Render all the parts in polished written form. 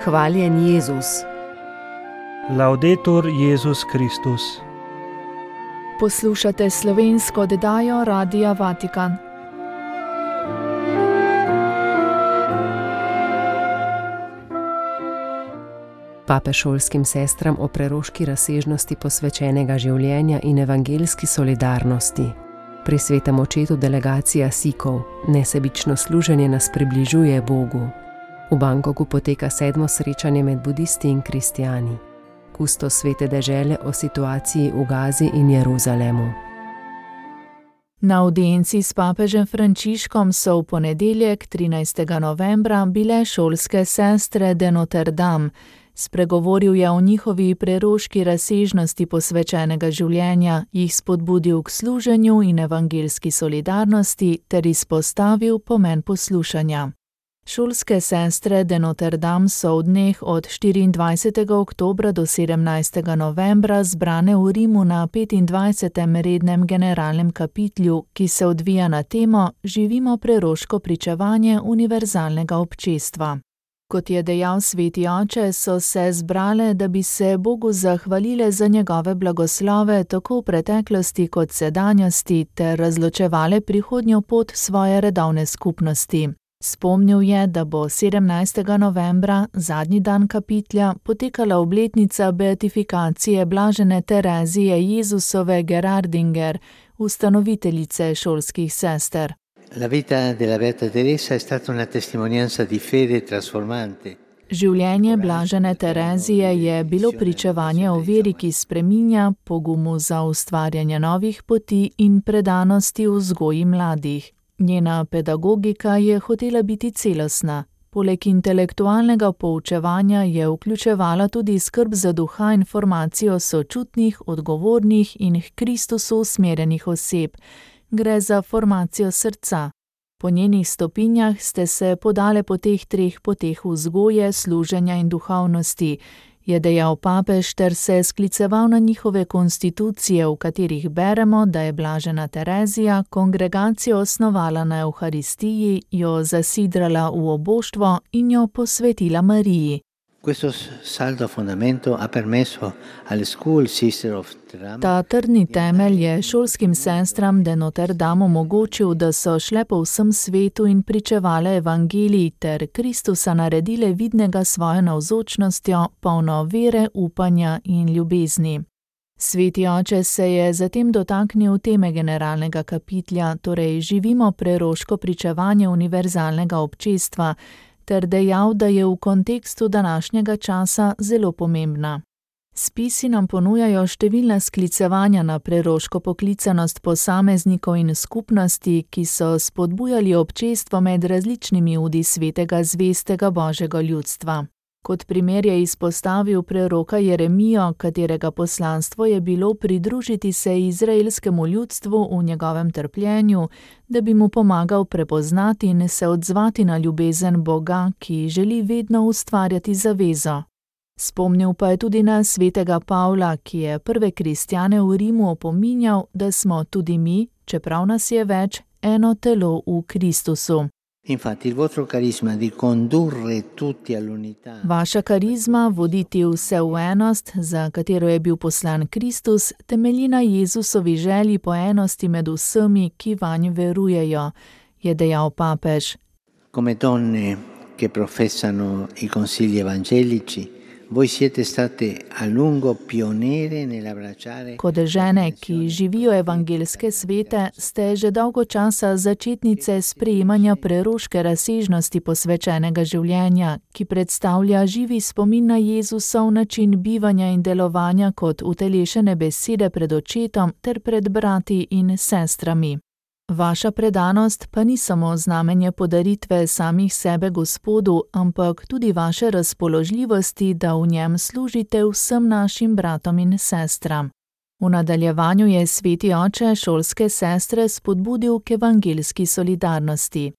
Hvaljen Jezus. Laudetur Jezus Kristus. Poslušate slovensko oddajo Radia Vatikan. Papež šolskim sestram o preroški razsežnosti posvečenega življenja in evangeljski solidarnosti. Pri svetem očetu delegacija Sikov, nesebično služenje nas približuje Bogu. V Bangkoku poteka 7. srečanje med budisti in kristijani. Kustos svete dežele o situaciji v Gazi in Jeruzalemu. Na avdienci s papežem Frančiškom so v ponedeljek, 13. novembra, bile šolske sestre de Notre Dame. Spregovoril je o njihovi preroški razsežnosti posvečenega življenja, jih spodbudil k služenju in evangeljski solidarnosti ter izpostavil pomen poslušanja. Šolske sestre de Notre Dame so v dneh od 24. oktobra do 17. novembra zbrane v Rimu na 25. rednem generalnem kapitlju, ki se odvija na temo Živimo preroško pričevanje univerzalnega občestva. Kot je dejal sveti oče, so se zbrale, da bi se Bogu zahvalile za njegove blagoslove tako v preteklosti kot sedanjosti ter razločevale prihodnjo pot svoje redovne skupnosti. Spomnil je, da bo 17. novembra, zadnji dan kapitlja, potekala obletnica beatifikacije blažene Terezije Jezusove Gerardinger, ustanoviteljice šolskih sester. La vita della Beata Teresa è stata una testimonianza di fede trasformante. Življenje blažene Terezije je bilo pričevanje o veri, ki spreminja, pogumu za ustvarjanje novih poti in predanosti v vzgoji mladih. Njena pedagogika je hotela biti celostna. Poleg intelektualnega poučevanja je vključevala tudi skrb za duha in formacijo sočutnih, odgovornih in k Kristusu usmerjenih oseb. Gre za formacijo srca. Po njenih stopinjah ste se podale po teh treh poteh vzgoje, služenja in duhovnosti, je dejal papež ter se skliceval na njihove konstitucije, v katerih beremo, da je blažena Terezija kongregacijo osnovala na Evharistiji, jo zasidrala v oboštvo in jo posvetila Mariji. Questo saldo fondamento ha permesso alle school sister of Notre Dame. Ta trdni temelj je šolskim sestram de Notre Dame omogočil, da so šle po vsem svetu in pričevale evangelij ter Kristusa naredile vidnega svojo navzočnostjo, polno vere, upanja in ljubezni. Sveti oče se je zatem dotaknil teme generalnega kapitlja, torej živimo preroško pričevanje univerzalnega občestva, ter dejal, da je v kontekstu današnjega časa zelo pomembna. Spisi nam ponujajo številna sklicevanja na preroško poklicanost posameznikov in skupnosti, ki so spodbujali občestvo med različnimi udi svetega zvestega Božjega ljudstva. Kot primer je izpostavil preroka Jeremijo, katerega poslanstvo je bilo pridružiti se izraelskemu ljudstvu v njegovem trpljenju, da bi mu pomagal prepoznati in se odzvati na ljubezen Boga, ki želi vedno ustvarjati zavezo. Spomnil pa je tudi na svetega Pavla, ki je prve kristjane v Rimu opominjal, da smo tudi mi, čeprav nas je več, eno telo v Kristusu. Infatti il vostro carisma di condurre tutti all'unità. Vaša karizma voditi vse v enost, za katero je bil poslan Kristus, temelji na Jezusovi želji po enosti med vsemi, ki vanj verujejo, je dejal papež. Come donne che professano i consigli evangelici, voi siete state a lungo pioniere nell'abbracciare. Kot žene, ki živijo evangeljske svete, ste že dolgo časa začetnice sprejemanja preroške razsežnosti posvečenega življenja, ki predstavlja živi spomin na Jezusov način bivanja in delovanja kot utelešene besede pred očetom ter pred brati in sestrami. Vaša predanost pa ni samo znamenje podaritve samih sebe Gospodu, ampak tudi vaše razpoložljivosti, da v njem služite vsem našim bratom in sestram. V nadaljevanju je sveti oče šolske sestre spodbudil k evangeljski solidarnosti.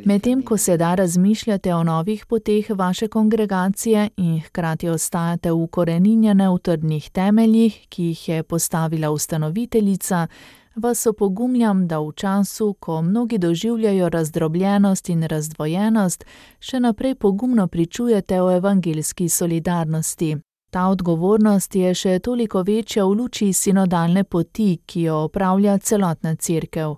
Medtem ko sedaj razmišljate o novih poteh vaše kongregacije in hkrati ostajate ukoreninjene v trdnih temeljih, ki jih je postavila ustanoviteljica, vas opogumljam, da v času, ko mnogi doživljajo razdrobljenost in razdvojenost, še naprej pogumno pričujete o evangeljski solidarnosti. Ta odgovornost je še toliko večja v luči sinodalne poti, ki jo opravlja celotna cerkev.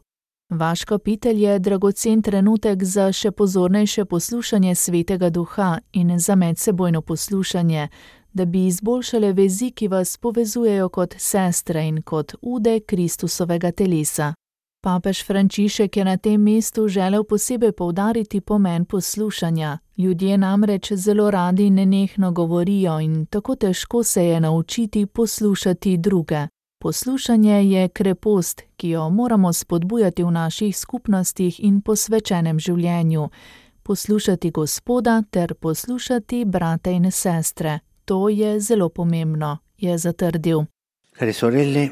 Vaš kapitelj je dragocen trenutek za še pozornejše poslušanje Svetega Duha in za medsebojno poslušanje, da bi izboljšale vezi, ki vas povezujejo kot sestre in kot ude Kristusovega telesa. Papež Frančišek je na tem mestu želel posebej poudariti pomen poslušanja. Ljudje namreč zelo radi nenehno govorijo in tako težko se je naučiti poslušati druge. Poslušanje je krepost, ki jo moramo spodbujati v naših skupnostih in posvečenem življenju. Poslušati Gospoda ter poslušati brate in sestre. To je zelo pomembno, je zatrdil. Care sorelle,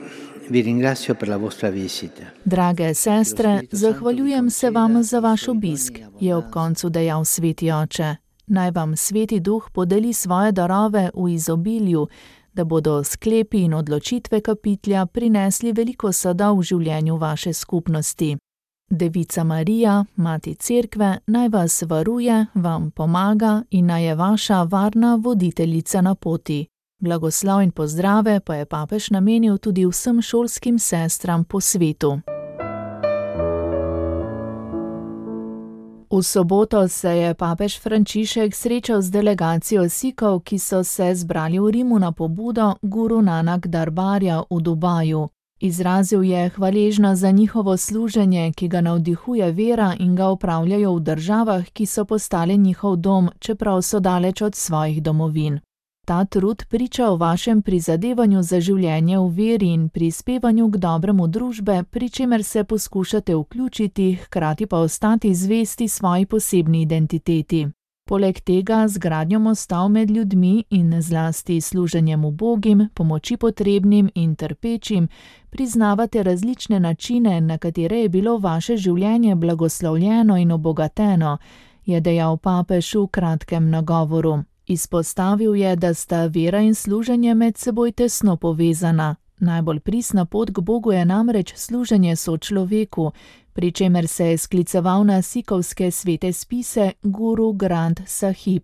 vi ringrazio per la vostra visita. Drage sestre, zahvaljujem se vam za vaš obisk, je ob koncu dejal Sveti Oče. Naj vam Sveti Duh podeli svoje darove v izobilju, da bodo sklepi in odločitve kapitelja prinesli veliko sadov v življenju vaše skupnosti. Devica Marija, Mati Cerkve, naj vas varuje, vam pomaga in naj je vaša varna voditeljica na poti. Blagoslov in pozdrave pa je papež namenil tudi vsem šolskim sestram po svetu. V soboto se je papež Frančišek srečal z delegacijo Sikov, ki so se zbrali v Rimu na pobudo Guru Nanak Darbarja v Dubaju. Izrazil je hvaležnost za njihovo služenje, ki ga navdihuje vera in ga opravljajo v državah, ki so postale njihov dom, čeprav so daleč od svojih domovin. Ta trud priča o vašem prizadevanju za življenje v veri in prispevanju k dobremu družbe, pri čemer se poskušate vključiti, hkrati pa ostati zvesti svoji posebni identiteti. Poleg tega z gradnjo mostov med ljudmi in zlasti služenjem ubogim, pomoči potrebnim in trpečim, priznavate različne načine, na katere je bilo vaše življenje blagoslovljeno in obogateno, je dejal papež v kratkem nagovoru. Izpostavil je, da sta vera in služenje med seboj tesno povezana. Najbolj pristna pot k Bogu je namreč služenje sočloveku, pri čemer se je skliceval na sikovske svete spise Guru Granth Sahib.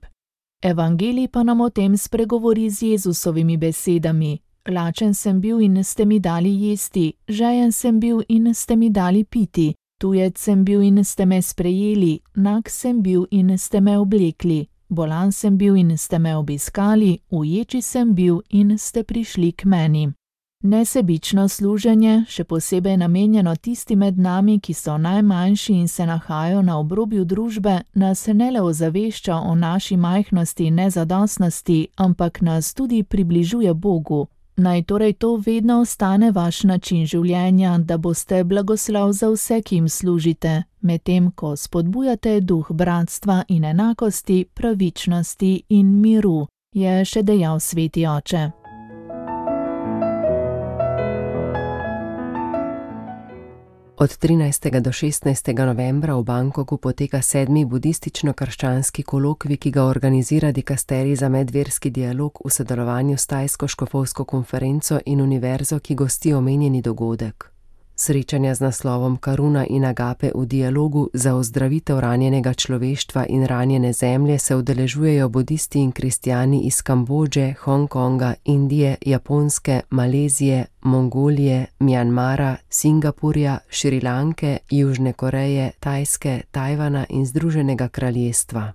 Evangelij pa nam o tem spregovori z Jezusovimi besedami. Lačen sem bil in ste mi dali jesti, žejen sem bil in ste mi dali piti, tujec sem bil in ste me sprejeli, nag sem bil in ste me oblekli. Bolan sem bil in ste me obiskali, uječi sem bil in ste prišli k meni. Nesebično služenje, še posebej namenjeno tisti med nami, ki so najmanjši in se nahajajo na obrobju družbe, nas ne le ozavešča o naši majhnosti in nezadostnosti, ampak nas tudi približuje Bogu. Naj torej to vedno ostane vaš način življenja, da boste blagoslov za vse, ki jim služite, medtem ko spodbujate duh bratstva in enakosti, pravičnosti in miru, je še dejal Sveti Oče. Od 13. do 16. novembra v Bangkoku poteka 7. budistično-krščanski kolokvij, ki ga organizira dikasterij za medverski dialog v sodelovanju s Tajsko škofovsko konferenco in univerzo, ki gosti omenjeni dogodek. Srečanja z naslovom Karuna in Agape v dialogu za ozdravitev ranjenega človeštva in ranjene zemlje se udeležujejo budisti in kristjani iz Kambodže, Hongkonga, Indije, Japonske, Malezije, Mongolije, Mjanmara, Singapurja, Šrilanke, Južne Koreje, Tajske, Tajvana in Združenega kraljestva.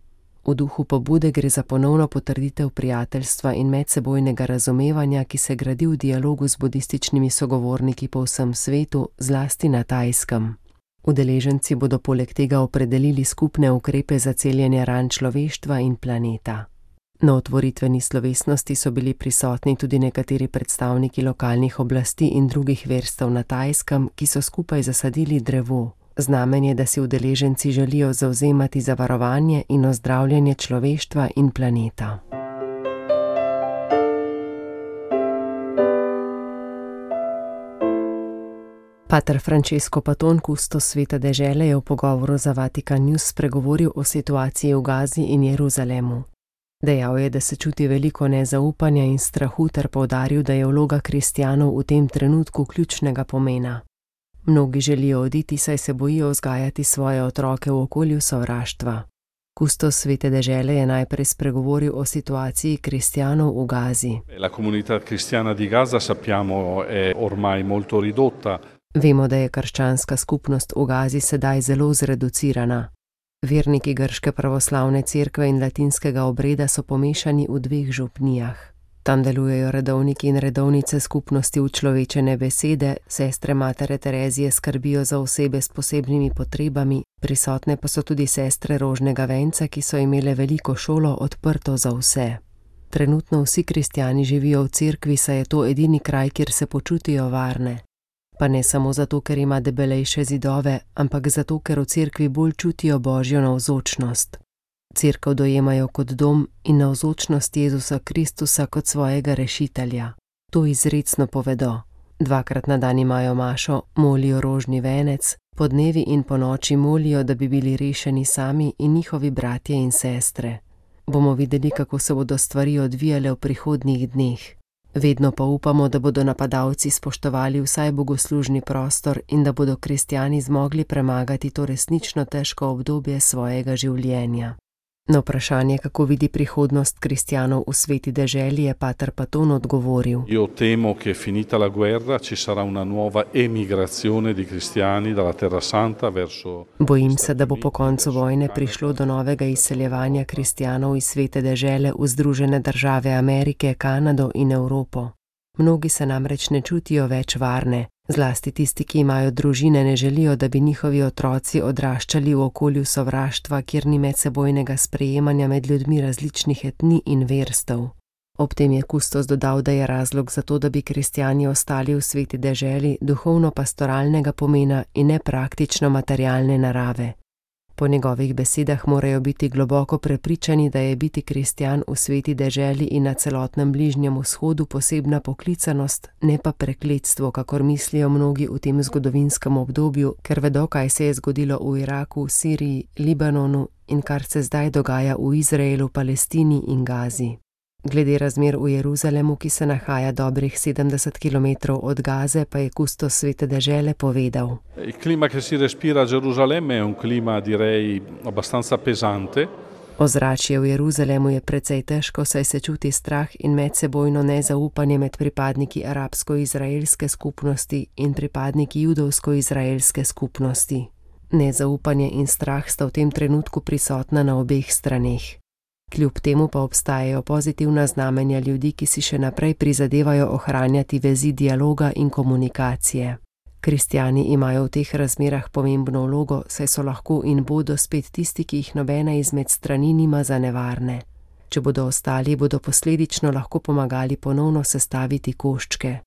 V duhu pobude gre za ponovno potrditev prijateljstva in medsebojnega razumevanja, ki se gradi v dialogu z budističnimi sogovorniki po vsem svetu, zlasti na Tajskem. Udeleženci bodo poleg tega opredelili skupne ukrepe za celjenje ran človeštva in planeta. Na otvoritveni slovesnosti so bili prisotni tudi nekateri predstavniki lokalnih oblasti in drugih verstev na Tajskem, ki so skupaj zasadili drevo. Znamenje, da si udeleženci želijo zavzemati za varovanje in ozdravljanje človeštva in planeta. Pater Francesco Paton, kustos Svete dežele, je v pogovoru za Vatikan News spregovoril o situaciji v Gazi in Jeruzalemu. Dejal je, da se čuti veliko nezaupanja in strahu ter poudaril, da je vloga kristjanov v tem trenutku ključnega pomena. Mnogi želijo oditi, saj se bojijo vzgajati svoje otroke v okolju sovraštva. Kustos Svete dežele je najprej spregovoril o situaciji kristjanov v Gazi. La comunità cristiana di Gaza, sappiamo, è ormai molto ridotta. Vemo, da je krščanska skupnost v Gazi sedaj zelo zreducirana. Verniki grške pravoslavne cerkve in latinskega obreda so pomešani v 2 župnijah. Tam delujejo redovniki in redovnice skupnosti učlovečene besede, sestre Matere Terezije skrbijo za osebe s posebnimi potrebami, prisotne pa so tudi sestre Rožnega venca, ki so imele veliko šolo odprto za vse. Trenutno vsi kristjani živijo v cerkvi, saj je to edini kraj, kjer se počutijo varne. Pa ne samo zato, ker ima debelejše zidove, ampak zato, ker v cerkvi bolj čutijo Božjo navzočnost. Cerkev dojemajo kot dom in navzočnost Jezusa Kristusa kot svojega rešitelja. To izrecno povedo. 2-krat na dan imajo mašo, molijo rožni venec, podnevi in ponoči molijo, da bi bili rešeni sami in njihovi bratje in sestre. Bomo videli, kako se bodo stvari odvijale v prihodnjih dneh. Vedno pa upamo, da bodo napadalci spoštovali vsaj bogoslužni prostor in da bodo kristjani zmogli premagati to resnično težko obdobje svojega življenja. Na vprašanje, kako vidi prihodnost kristjanov v sveti deželi, je pater Paton odgovoril: Io temo che finita la guerra ci sarà una nuova emigrazione di cristiani dalla Terra Santa verso. Bojim se, da bo po koncu vojne prišlo do novega izseljevanja kristjanov iz svete dežele v Združene države Amerike, Kanado in Evropo. Mnogi se namreč ne čutijo več varne. Zlasti tisti, ki imajo družine, ne želijo, da bi njihovi otroci odraščali v okolju sovraštva, kjer ni medsebojnega sprejemanja med ljudmi različnih etnij in verstev. Ob tem je kustos dodal, da je razlog za to, da bi kristjani ostali v sveti deželi, duhovno-pastoralnega pomena in ne praktično materialne narave. Po njegovih besedah morajo biti globoko prepričani, da je biti kristjan v sveti deželi in na celotnem Bližnjem vzhodu posebna poklicanost, ne pa prekletstvo, kakor mislijo mnogi v tem zgodovinskem obdobju, ker vedo, kaj se je zgodilo v Iraku, Siriji, Libanonu in kar se zdaj dogaja v Izraelu, Palestini in Gazi. Glede razmer v Jeruzalemu, ki se nahaja dobrih 70 km od Gaze, pa je kustos svete dežele povedal: Il clima che si respira a Gerusalemme è un clima, direi, abbastanza pesante. Ozračje v Jeruzalemu je precej težko, saj se čuti strah in medsebojno nezaupanje med pripadniki arabsko-izraelske skupnosti in pripadniki judovsko-izraelske skupnosti. Nezaupanje in strah sta v tem trenutku prisotna na obeh straneh. Kljub temu pa obstajajo pozitivna znamenja ljudi, ki si še naprej prizadevajo ohranjati vezi dialoga in komunikacije. Kristjani imajo v teh razmerah pomembno vlogo, saj so lahko in bodo spet tisti, ki jih nobena izmed strani nima za nevarne. Če bodo ostali, bodo posledično lahko pomagali ponovno sestaviti koščke.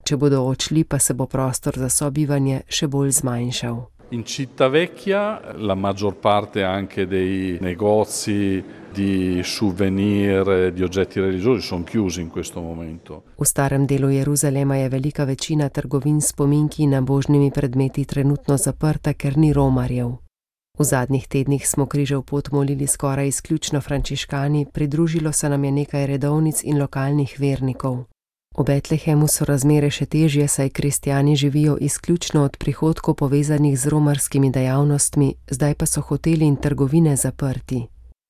Če bodo odšli, pa se bo prostor za sobivanje še bolj zmanjšal. In Città Vecchia la maggior parte anche dei negozi di souvenir, di oggetti religiosi sono chiusi in questo momento. V starem delu Jeruzalema je velika večina trgovin s spominki in božnimi predmeti trenutno zaprta, ker ni romarjev. V zadnjih tednih smo križev pot molili skoraj izključno frančiškani, pridružilo se nam je nekaj redovnic in lokalnih vernikov. V Betlehemu so razmere še težje, saj kristjani živijo izključno od prihodkov povezanih z romarskimi dejavnostmi, zdaj pa so hoteli in trgovine zaprti.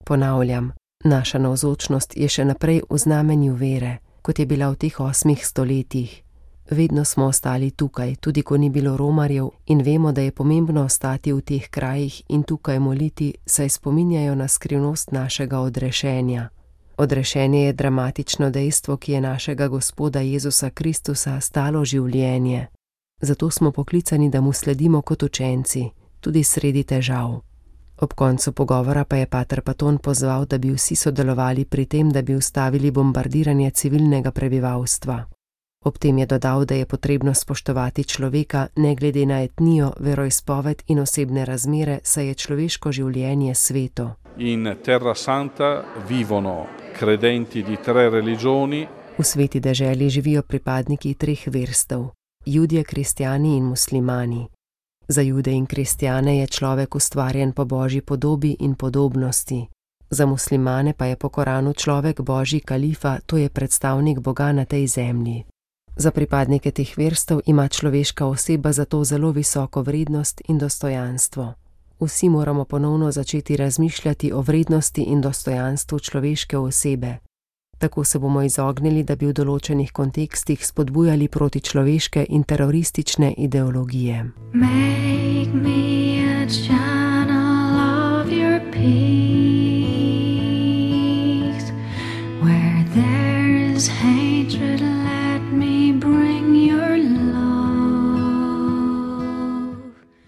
Ponavljam, naša navzočnost je še naprej v znamenju vere, kot je bila v teh 8 stoletjih. Vedno smo ostali tukaj, tudi ko ni bilo romarjev, in vemo, da je pomembno ostati v teh krajih in tukaj moliti, saj spominjajo na skrivnost našega odrešenja. Odrešenje je dramatično dejstvo, ki je našega Gospoda Jezusa Kristusa stalo življenje. Zato smo poklicani, da mu sledimo kot učenci, tudi sredi težav. Ob koncu pogovora pa je pater Paton pozval, da bi vsi sodelovali pri tem, da bi ustavili bombardiranje civilnega prebivalstva. Ob tem je dodal, da je potrebno spoštovati človeka, ne glede na etnijo, veroizpoved in osebne razmere, saj je človeško življenje sveto. In Terra Santa vivono credenti di 3 religioni. V sveti deželi živijo pripadniki 3 verstev, Judje, kristjani in muslimani. Za Jude in kristjane je človek ustvarjen po Božji podobi in podobnosti. Za muslimane pa je po Koranu človek Božji kalifa, to je predstavnik Boga na tej zemlji. Za pripadnike teh verstev ima človeška oseba zato zelo visoko vrednost in dostojanstvo. Vsi moramo ponovno začeti razmišljati o vrednosti in dostojanstvu človeške osebe. Tako se bomo izognili, da bi v določenih kontekstih spodbujali protičloveške in teroristične ideologije. Make me a channel of your peace. Where there is hatred, let me bring your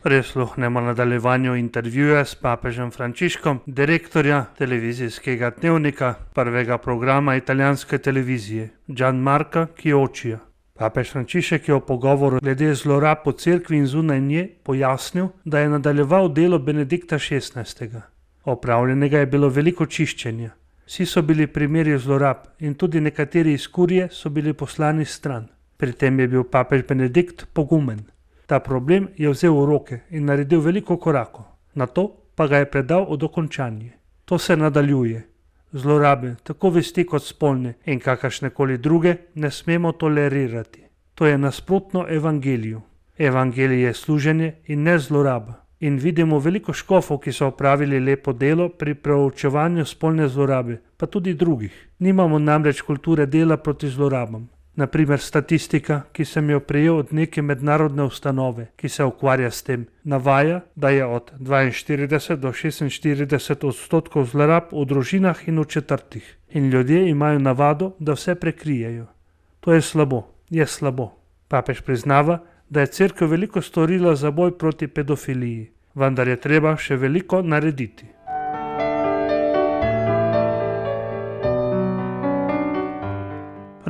Prisluhnemo nadaljevanju intervjuja s papežem Frančiškom, direktorja televizijskega dnevnika prvega programa italijanske televizije, Gianmarca Chioccioja. Papež Frančišek je v pogovoru glede zlorab po cerkvi in zunaj nje pojasnil, da je nadaljeval delo Benedikta XVI. Opravljenega je bilo veliko čiščenja. Vsi so bili primeri zlorab in tudi nekateri iz kurije so bili poslani stran. Pri tem je bil papež Benedikt pogumen. Ta problem je vzel v roke in naredil veliko korakov, nato pa ga je predal v dokončanje. To se nadaljuje. Zlorabe, tako vesti kot spolne in kakršnekoli druge, ne smemo tolerirati. To je nasprotno evangeliju. Evangelij je služenje in ne zloraba. In vidimo veliko škofov, ki so opravili lepo delo pri proučevanju spolne zlorabe, pa tudi drugih. Nimamo namreč kulture dela proti zlorabam. Naprimer statistika, ki sem jo prejel od neke mednarodne ustanove, ki se ukvarja s tem, navaja, da je od 42 do 46% zlorab v družinah in v četrtih. In ljudje imajo navado, da vse prekrijejo. To je slabo, je slabo. Papež priznava, da je cerkev veliko storila za boj proti pedofiliji, vendar je treba še veliko narediti.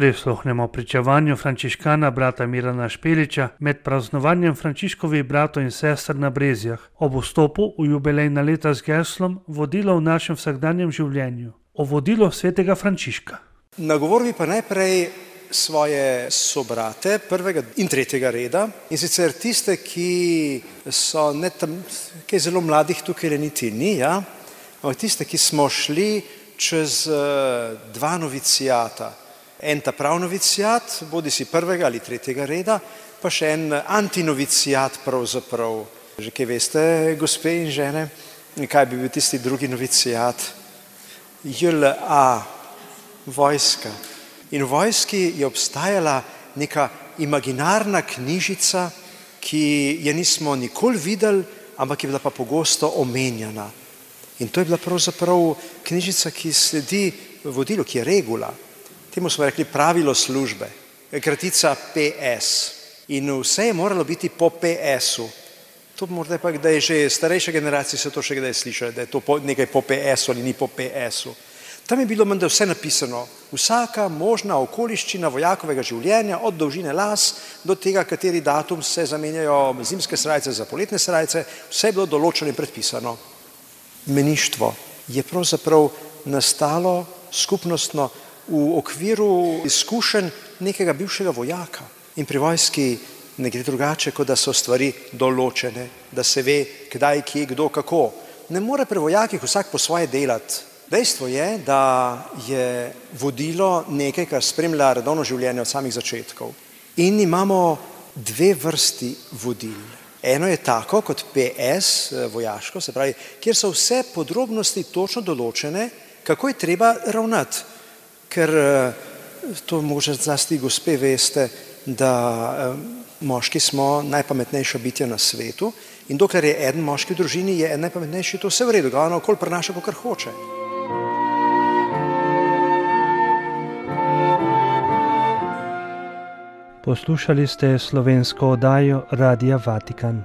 Prisluhnemo pričevanju frančiškana brata Mirana Špeliča med praznovanjem Frančiškovih bratov in sester na Brezjah ob vstopu v jubilejna leta z geslom Vodilo v našem vsakdanjem življenju. O vodilo svetega Frančiška. Nagovoril bi pa najprej svoje sobrate prvega in tretjega reda, in sicer tiste, ki so kaj zelo mladih tukaj niti ni, ampak tiste, ki smo šli čez dva novicijata. En ta prav novicijat, bodi si prvega ali tretjega reda, pa še en antinovicijat pravzaprav. Že kaj veste, gospe in žene, kaj bi bil tisti drugi novicijat? JLA, vojska. In v vojski je obstajala neka imaginarna knjižica, ki je nismo nikoli videli, ampak je bila pa pogosto omenjana. In to je bila pravzaprav knjižica, ki sledi vodilu, ki je regula. Temu smo rekli pravilo službe, kratica PS. In vse je moralo biti po PS-u. To morda pa, da je že starejša generacija se to še kdaj slišala, da je to nekaj po PS-u ali ni po PS-u. Tam je bilo menda vse napisano. Vsaka možna okoliščina vojakovega življenja, od dolžine las do tega, kateri datum se zamenjajo zimske srajce za poletne srajce, vse je bilo določeno in predpisano. Meništvo je pravzaprav nastalo skupnostno v okviru izkušenj nekega bivšega vojaka. In pri vojski ne gre drugače, kot da so stvari določene, da se ve, kdaj, kje, kdo, kako. Ne more pri vojakih vsak po svoje delati. Dejstvo je, da je vodilo nekaj, kar spremlja redovno življenje od samih začetkov. In imamo dve vrsti vodil. Eno je tako kot PS, vojaško, se pravi, kjer so vse podrobnosti točno določene, kako je treba ravnati. Ker to možno zlasti gospe veste, da moški smo najpametnejša bitja na svetu in dokler je eden moški v družini, je en najpametnejši, to vse v redu, ga ona okoli prenaša, kakor hoče. Poslušali ste slovensko oddajo Radia Vatikan.